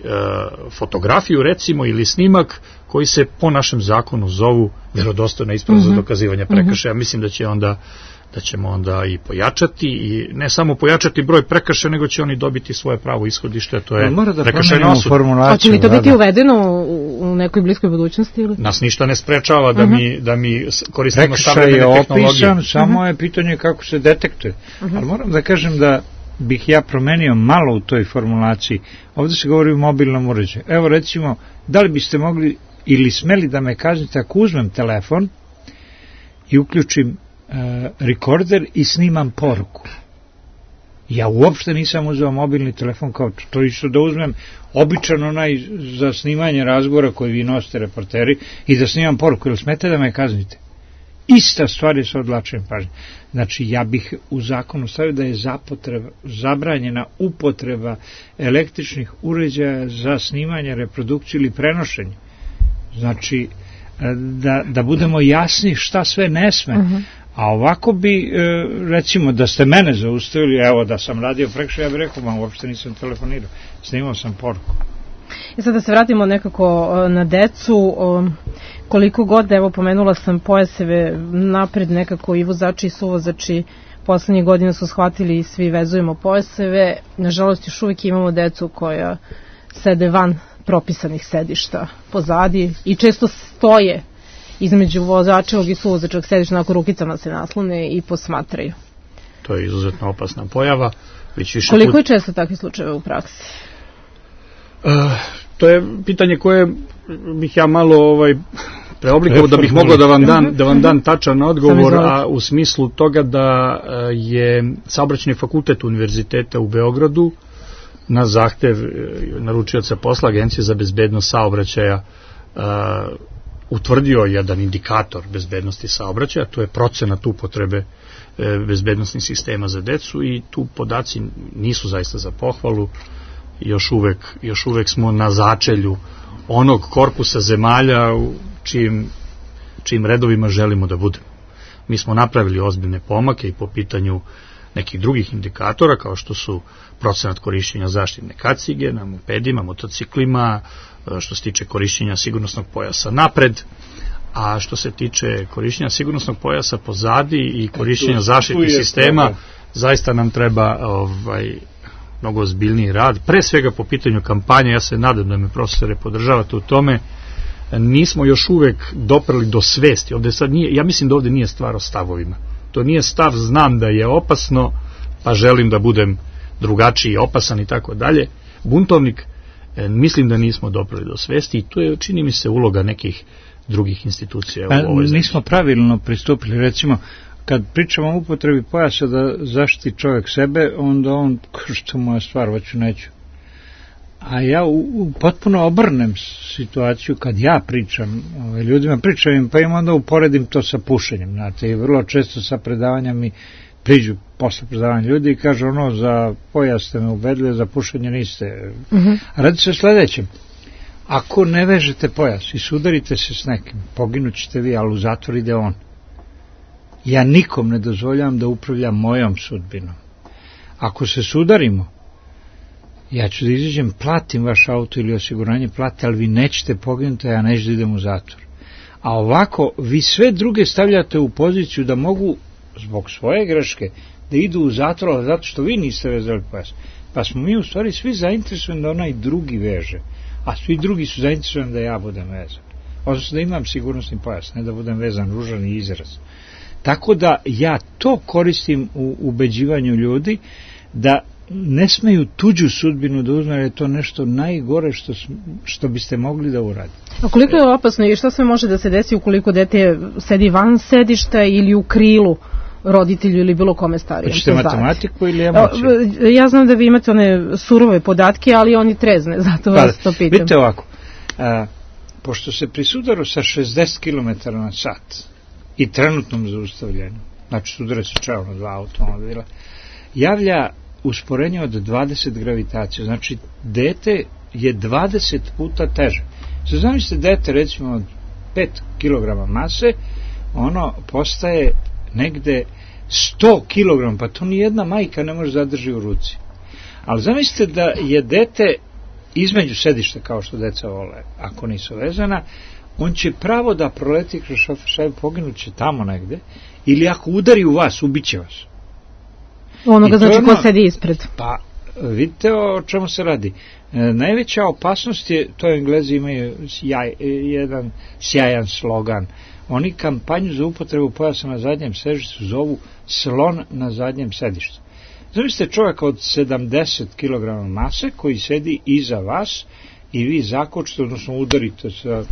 fotografiju recimo ili snimak koji se po našem zakonu zovu vjerodostojna isprava za dokazivanje prekršaja. Mislim da ćemo onda i pojačati i ne samo pojačati broj prekršaja, nego će oni dobiti svoje pravo ishodište, to je prekršajna osuda. Hoće li to biti uvedeno u nekoj bliskoj budućnosti? Ili? Nas ništa ne sprečava da mi koristimo savremene tehnologije. Prekršaj je opisan, samo je pitanje kako se detektuje. Ali moram da kažem da bih ja promenio malo u toj formulaciji. Ovdje se govori o mobilnom uređaju. Evo recimo, da li biste mogli ili smeli da me kaznite ako uzmem telefon i uključim rekorder i snimam poruku. Ja uopšte nisam uzeo mobilni telefon kao to isto da uzmem običan onaj za snimanje razgovora koji vi nosite reporteri i da snimam poruku, ili smete da me kaznite? Ista stvar je sa odvlačenjem pažnje. Znači, ja bih u zakonu stavio da je zabranjena upotreba električnih uređaja za snimanje, reprodukciju ili prenošenje. Znači, da budemo jasni šta sve ne sme. A ovako bi, recimo, da ste mene zaustavili, evo da sam radio prekršaj, ja bih rekao, uopšte nisam telefonirao, snimao sam poruku. I sad da se vratimo nekako na decu, koliko god, evo pomenula sam pojaseve napred nekako i vozači i suvozači poslednjih godina su shvatili i svi vezujemo pojaseve, nažalost još uvijek imamo decu koja sede van propisanih sedišta pozadi i često stoje između vozačevog i suvozačevog sedišta, onako rukicama se naslone i posmatraju. To je izuzetno opasna pojava. Koliko je često takve slučajeve u praksi? To je pitanje koje bih ja malo preoblikovao da bih mogao da vam dam tačan odgovor, a u smislu toga da je Saobraćajni fakultet Univerziteta u Beogradu na zahtev naručioca posla Agencije za bezbednost saobraćaja utvrdio jedan indikator bezbednosti saobraćaja, to je procenat upotrebe bezbednosnih sistema za decu, i tu podaci nisu zaista za pohvalu. Još uvek smo na začelju onog korpusa zemalja u čijim redovima želimo da budemo. Mi smo napravili ozbiljne pomake i po pitanju nekih drugih indikatora, kao što su procenat korišćenja zaštitne kacige na mopedima, motociklima, što se tiče korišćenja sigurnosnog pojasa napred, a što se tiče korišćenja sigurnosnog pojasa pozadi i korišćenja zaštitnih sistema, zaista nam treba mnogo ozbiljniji rad, pre svega po pitanju kampanje. Ja se nadam da me profesore podržavate u tome. Nismo još uvek doprali do svesti. Ovde sad nije, ja mislim da ovde nije stvar o stavovima. To nije stav znam da je opasno, pa želim da budem drugačiji, opasan i tako dalje. Buntovnik, mislim da nismo doprali do svesti, i to je, čini mi se, uloga nekih drugih institucija u ovoj zemlji. Nismo pravilno pristupili, recimo, kad pričamo o upotrebi pojasa da zaštiti čovjek sebe, onda on, što moja stvar, hoću neću. A ja potpuno obrnem situaciju kad ja pričam, ljudima pričam, pa im onda uporedim to sa pušenjem, znate, i vrlo često sa predavanjem mi priđu posle predavanja ljudi i kažu za pojas ste me ubedili, za pušenje niste. A radi se o sledećem. Ako ne vežete pojas i sudarite se s nekim, poginućete vi, ali u zatvor ide on. Ja nikom ne dozvoljavam da upravlja mojom sudbinom. Ako se sudarimo, ja ću da izađem, platim vaš auto ili osiguranje, plate, ali vi nećete poginuti, a ja neću da idem u zatvor. A ovako, vi sve druge stavljate u poziciju da mogu, zbog svoje greške, da idu u zatvor, zato što vi niste vezali pojas. Pa smo mi u stvari svi zainteresovani da onaj drugi veže, a svi drugi su zainteresovani da ja budem vezan. Odnosno da imam sigurnosni pojas, ne da budem vezan, ružan i izraz. Tako da ja to koristim u ubeđivanju ljudi da ne smeju tuđu sudbinu da uzme, jer je to nešto najgore što biste mogli da uradite. A koliko je opasno i šta sve može da se desi ukoliko dete sedi van sedišta ili u krilu roditelju ili bilo kome starijem? Hoćete matematiku ili emociju? Ja znam da vi imate one surove podatke, ali oni trezne, zato vas to pitam. Vidite ovako, pošto se pri sudaru sa 60 km na sat i trenutnom zaustavljanju, znači sudara se čao na 2 automobila, javlja usporenje od 20 gravitacija, znači dete je 20 puta teže. Zamislite dete recimo od 5 kg mase, ono postaje negde 100 kg, pa to nijedna majka ne može zadrži u ruci. Ali zamislite da je dete između sedišta, kao što deca vole, ako nisu vezana, on će pravo da proleti kroz šofer, poginuće tamo negde, ili ako udari u vas, ubiće vas. Onoga znači ko sedi ispred. Pa vidite o čemu se radi. Najveća opasnost je, to Englezi imaju jedan sjajan slogan. Oni kampanju za upotrebu pojasa na zadnjem sedištu zovu slon na zadnjem sedištu. Zamislite čovjeka od 70 kg mase koji sedi iza vas i vi zakočite, odnosno udarite sa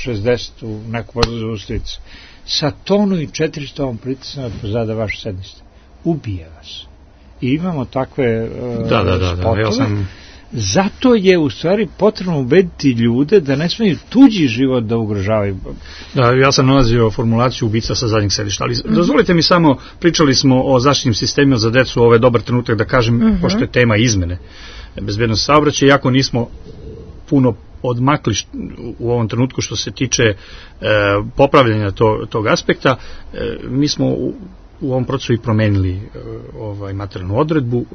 60 u neku vrstu zaustavicu. Sa tonu i 400 vam pritisne pozada vaše sedište. Ubije vas. I imamo takve spotove. Ja sam... Zato je u stvari potrebno ubediti ljude da ne smeju tuđi život da ugrožavaju. Da, ja sam nalazio formulaciju ubica sa zadnjeg sedišta, ali dozvolite mi samo, pričali smo o zaštitnim sistemima za decu, ovo je dobar trenutak da kažem, pošto je tema izmene bezbednosti saobraćaja, iako nismo puno odmakli u ovom trenutku što se tiče popravljanja tog aspekta, mi smo u ovom procesu i promenili materijalnu odredbu.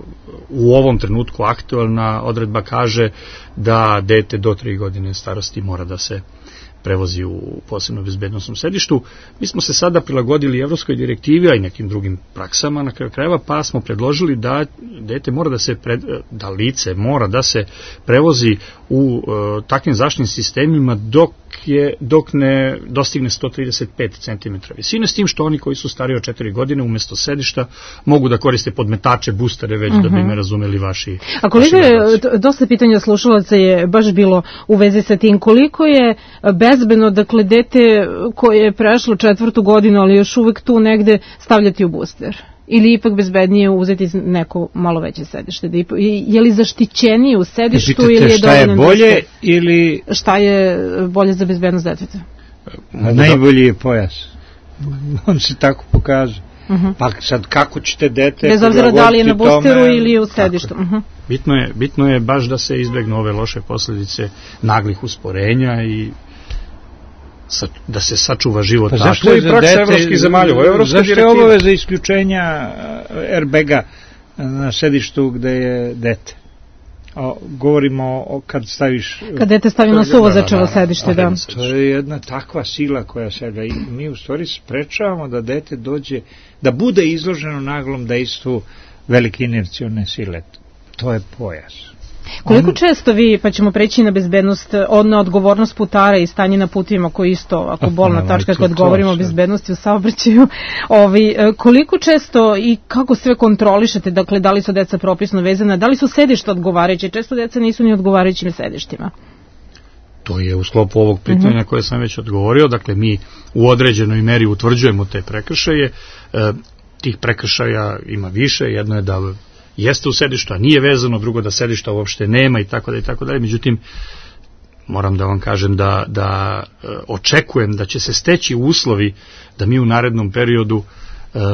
U ovom trenutku aktualna odredba kaže da dete do 3 godine starosti mora da se prevozi u posebno bezbednosnom sedištu. Mi smo se sada prilagodili evropskoj direktivi, a i nekim drugim praksama na kraju krajeva, pa smo predložili da dete mora da se da lice mora da se prevozi u takvim zaštitnim sistemima dok ne dostigne 135 cm visine, s tim što oni koji su stariji od 4 godine umesto sedišta mogu da koriste podmetače, boostere, već da bi me razumeli vaši. A koliko je, dosta pitanja slušalaca je baš bilo u vezi sa tim, koliko je bezbedno, dakle, dete koje je prešlo 4. godinu, ali još uvek tu negde stavljati u booster? ili ipak bezbednije uzeti neko malo veće sedište? Je li zaštićeniji u sedištu ili je šta je bolje ili... Šta je bolje za bezbednost deteta? Najbolji je pojas. On se tako pokaže. Pa sad kako ćete dete... Bez obzira da li je na boosteru ili u sedištu. Bitno je baš da se izbegnu ove loše posljedice naglih usporenja i da se sačuva život. Pa zašto je praksa evropskih zemalja? Zašto je obaveza isključenja airbaga na sedištu gde je dete? Govorimo o kad staviš... Kad dete stavi na suvozačevo sedište, da. To je jedna takva sila koja se... I mi u stvari sprečavamo da dete dođe, da bude izloženo naglom dejstvu velike inercione sile. To je pojas. Koliko često vi, pa ćemo preći na bezbednost, na odgovornost putara i stanje na putovima, koji isto ako bolna tačka kad govorimo o bezbednosti u saobraćaju, koliko često i kako sve kontrolišete, dakle da li su deca propisno vezana, da li su sedišta odgovarajuće, često deca nisu ni odgovarajućim sedištima? To je u sklopu ovog pitanja koje sam već odgovorio, dakle mi u određenoj meri utvrđujemo te prekršaje, tih prekršaja ima više, jedno je da jeste u sedištu, a nije vezano, drugo da sedišta uopšte nema i tako dalje. Međutim, moram da vam kažem da očekujem da će se steći uslovi da mi u narednom periodu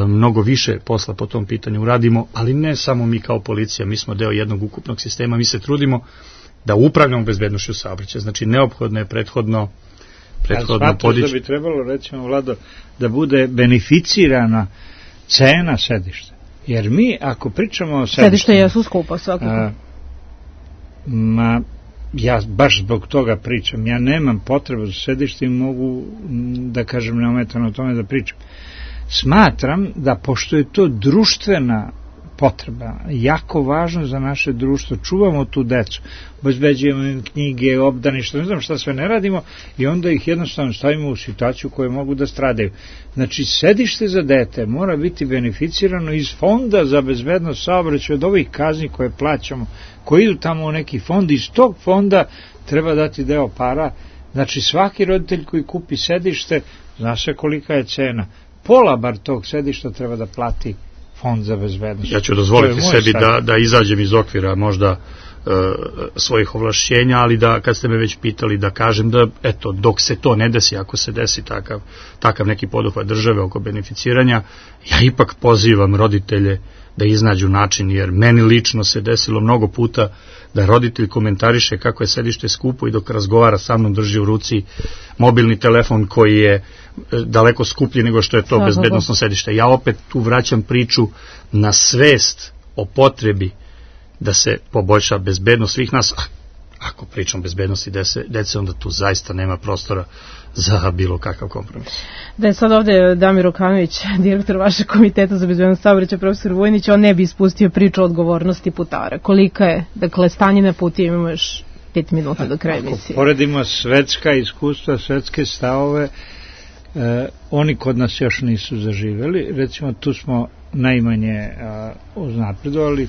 mnogo više posla po tom pitanju uradimo, ali ne samo mi kao policija, mi smo deo jednog ukupnog sistema, mi se trudimo da upravljamo bezbednošću saobraćaja, znači neophodno je prethodno podići. Da bi trebalo, recimo, Vlado, da bude beneficirana cena sedišta. Jer mi, ako pričamo o sedištima... Sedište jesu skupo, svakako. Ja baš zbog toga pričam. Ja nemam potrebu za sedište i mogu, da kažem, neometano o tome da pričam. Smatram da, pošto je to društvena potreba, jako važno za naše društvo, čuvamo tu decu, obezbeđujemo im knjige, obdaništa, ne znam šta sve ne radimo, i onda ih jednostavno stavimo u situaciju koje mogu da stradaju. Znači, sedište za dete mora biti beneficirano iz fonda za bezbednost saobraćaja, od ovih kazni koje plaćamo, koji idu tamo u neki fond, iz tog fonda treba dati deo para. Znači, svaki roditelj koji kupi sedište, zna se kolika je cena, pola bar tog sedišta treba da plati fond za bezbednost. Ja ću dozvoliti sebi da izađem iz okvira možda svojih ovlašćenja, ali da, kad ste me već pitali, da kažem da, eto, dok se to ne desi, ako se desi takav neki poduhvat države oko beneficiranja, ja ipak pozivam roditelje da iznađu način, jer meni lično se desilo mnogo puta da roditelj komentariše kako je sedište skupo i dok razgovara sa mnom drži u ruci mobilni telefon koji je daleko skuplji nego što je to bezbednosno sedište. Ja opet tu vraćam priču na svest o potrebi da se poboljša bezbednost svih nas. Ako pričam o bezbednosti dece, onda tu zaista nema prostora za bilo kakav kompromis. Da je sad ovde Damir Okanović, direktor vašeg komiteta za bezbednost saobraćaja, profesor Vujnić, on ne bi ispustio priču o odgovornosti putara. Kolika je, dakle, stanje na putu, imamo još 5 minuta do kraja emisije. Ako poredimo svetska iskustva, svetske stavove, oni kod nas još nisu zaživeli. Recimo, tu smo najmanje uznapredovali.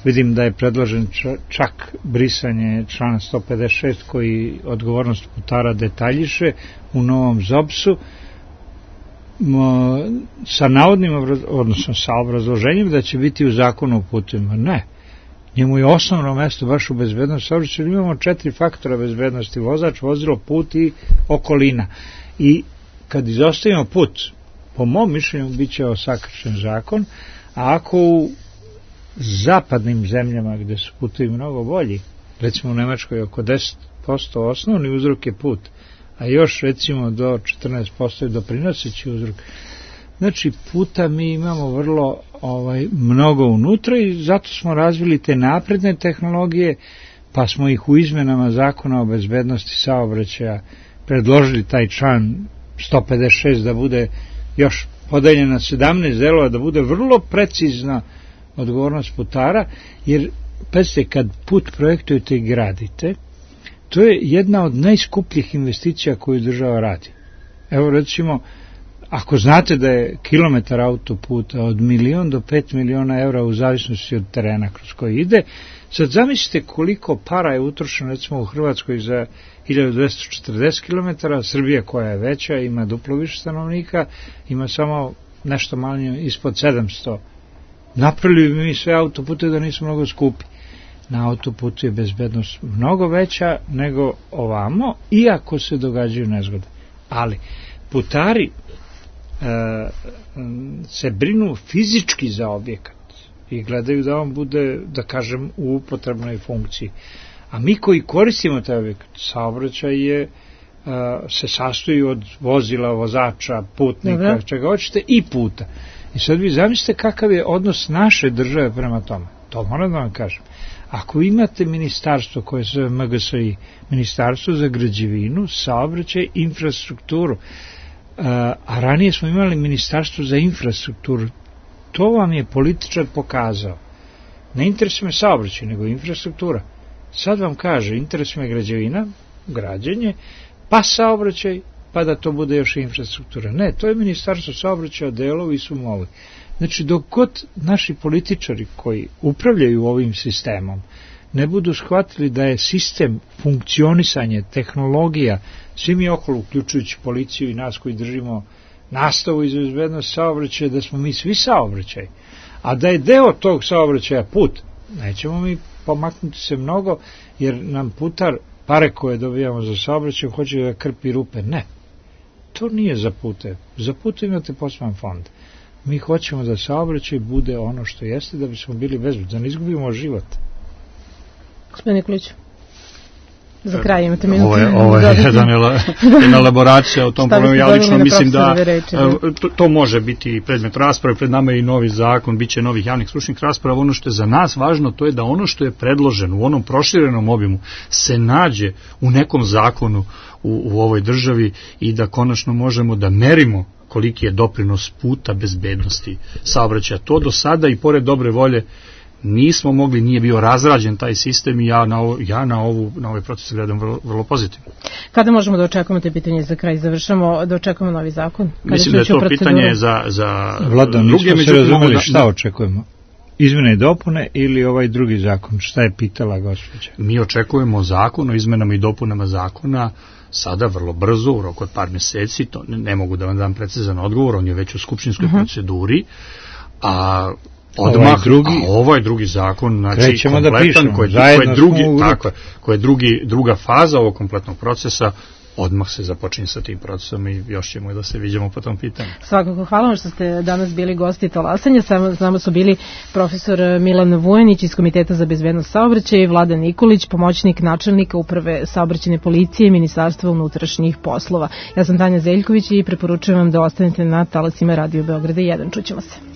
Vidim da je predložen čak brisanje člana 156 koji odgovornost putara detaljiše u novom ZOBS-u sa navodnim, odnosno sa obrazloženjem da će biti u zakonu o putovima. Ne. Njemu je osnovno mesto baš u bezbednosti saobraćaja. Imamo 4 faktora bezbednosti: vozač, vozilo, put i okolina. I kad izostavimo put, po mom mišljenju bit će osakršen zakon, a ako u zapadnim zemljama gde su putevi mnogo bolji, recimo u Nemačkoj oko 10% osnovni uzrok je put, a još recimo do 14% je doprinoseći uzrok. Znači, puta mi imamo vrlo mnogo unutra i zato smo razvili te napredne tehnologije, pa smo ih u izmenama zakona o bezbednosti saobraćaja predložili taj član 156 da bude još podeljen na 17 delova, da bude vrlo precizna odgovornost putara, jer pazite, kad put projektujete i gradite, to je jedna od najskupljih investicija koju država radi. Evo, recimo, ako znate da je kilometar autoputa od 1 do 5 miliona evra u zavisnosti od terena kroz koji ide, sad zamislite koliko para je utrošeno recimo u Hrvatskoj za 1240 km, Srbija koja je veća, ima duplo više stanovnika, ima samo nešto manje ispod 700 Napravili bi mi sve autopute da nisu mnogo skupi. Na autoputu je bezbednost mnogo veća nego ovamo, iako se događaju nezgode. Ali putari se brinu fizički za objekat i gledaju da on bude, da kažem, u upotrebnoj funkciji. A mi koji koristimo taj objekat, saobraćaj se sastoji od vozila, vozača, putnika, čega hoćete i puta. I sad vi zamislite kakav je odnos naše države prema tome. To moram da vam kažem. Ako imate ministarstvo koje se zove MGSI, Ministarstvo za građevinu, saobraćaj, infrastrukturu, a ranije smo imali Ministarstvo za infrastrukturu, to vam je političar pokazao. Ne interesuje me saobraćaj, nego infrastruktura. Sad vam kaže, interesuje me građevina, građenje, pa saobraćaj, pa da to bude još infrastruktura. Ne, to je Ministarstvo saobraćaja, delovi su movi. Znači, dok god naši političari koji upravljaju ovim sistemom ne budu shvatili da je sistem funkcionisanje, tehnologija, svi mi okolo, uključujući policiju i nas koji držimo nastavu iz bezbednosti saobraćaja, da smo mi svi saobraćaj, a da je deo tog saobraćaja put, nećemo mi pomaknuti se mnogo, jer nam putar pare koje dobijamo za saobraćaj hoće da krpi rupe. Ne, to nije za pute. Za pute imate poseban fond. Mi hoćemo da saobraćaj bude ono što jeste, da bismo bili bezbedni, da ne izgubimo život. Gospodin Nikolić, za kraj imate minutu. Ovo je jedna elaboracija o tom problemu. Ja lično mislim da to može biti predmet rasprave. Pred nama je i novi zakon, bit će novih javnih stručnih rasprava. Ono što je za nas važno, to je da ono što je predloženo u onom proširenom obimu se nađe u nekom zakonu u ovoj državi i da konačno možemo da merimo koliki je doprinos puta bezbednosti saobraćaja. To do sada i pored dobre volje nismo mogli, nije bio razrađen taj sistem i ja na ovaj proces gledam vrlo pozitivno. Kada možemo da očekujemo te pitanje za kraj? Završamo da očekujemo novi zakon? Mislim da je to pitanje za Vlada, nismo se razumeli šta očekujemo. Izmene i dopune ili ovaj drugi zakon? Šta je pitala gospođa? Mi očekujemo zakon o izmenama i dopunama zakona sada vrlo brzo, u roku od par meseci, to ne mogu da vam dam precizan odgovor, on je već u skupštinskoj proceduri, a odmah ovaj drugi zakon, znači kompletan, koji je druga faza ovog kompletnog procesa, odmah se započinje sa tim procesom i još ćemo da se vidimo po tom pitanju. Svakako, hvala vam što ste danas bili gosti Talasanja. S nama su bili profesor Milan Vujanić iz Komiteta za bezbednost saobraćaja i Vladan Nikolić, pomoćnik načelnika Uprave saobraćajne policije Ministarstva unutrašnjih poslova. Ja sam Tanja Zeljković i preporučujem vam da ostanete na talasima Radio Beograda 1. Čućemo se.